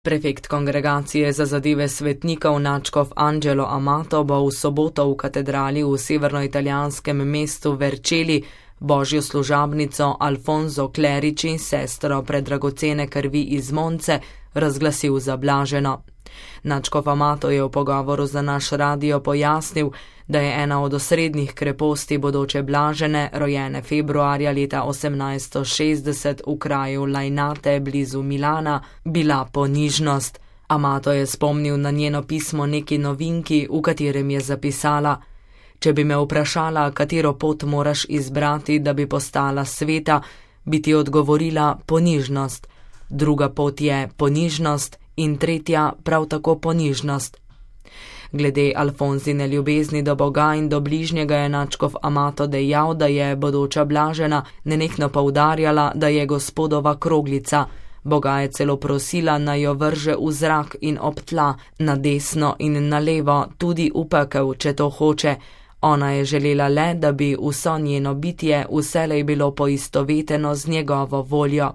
Prefekt kongregacije za zadeve svetnikov nadškof Angelo Amato bo v soboto v katedrali v severnoitalijanskem mestu Vercelli božjo služabnico Alfonso Clerici in sestro predragocene krvi iz Monce razglasil za blaženo. Nadškof Amato je v pogovoru za naš radio pojasnil, da je ena od osrednjih kreposti bodoče blažene, rojene februarja leta 1860 v kraju Lainate blizu Milana, bila ponižnost. Amato je spomnil na njeno pismo neki novinki, v katerem je zapisala: "Če bi me vprašala, katero pot moraš izbrati, da bi postala sveta, bi ti odgovorila ponižnost. Druga pot je ponižnost in tretja prav tako ponižnost." Glede Alfonzine ljubezni do Boga in do bližnjega je nadškof Amato dejal, da je bodoča blažena nenehno poudarjala, da je Gospodova kroglica. Boga je celo prosila, naj jo vrže v zrak in ob tla, na desno in na levo, tudi v pekel, če to hoče. Ona je želela le, da bi vso njeno bitje vselej bilo poistoveteno z njegovo voljo.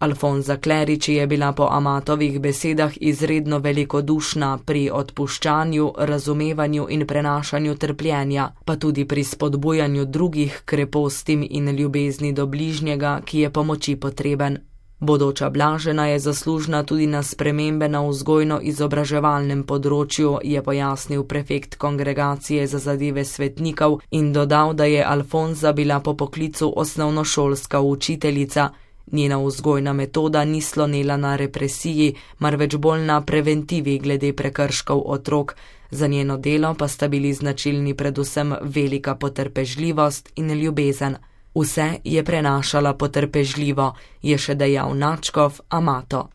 Alfonsa Clerici je bila po Amatovih besedah izredno velikodušna pri odpuščanju, razumevanju in prenašanju trpljenja, pa tudi pri spodbujanju drugih krepostim in ljubezni do bližnjega, ki je pomoči potreben. Bodoča blažena je zaslužna tudi na spremembe na vzgojno-izobraževalnem področju, je pojasnil prefekt kongregacije za zadeve svetnikov in dodal, da je Alfonsa bila po poklicu osnovnošolska učiteljica. Njena vzgojna metoda ni slonela na represiji, marveč bolj na preventivi glede prekrškov otrok. Za njeno delo pa sta bili značilni predvsem velika potrpežljivost in ljubezen. Vse je prenašala potrpežljivo, je še dejal nadškof Amato.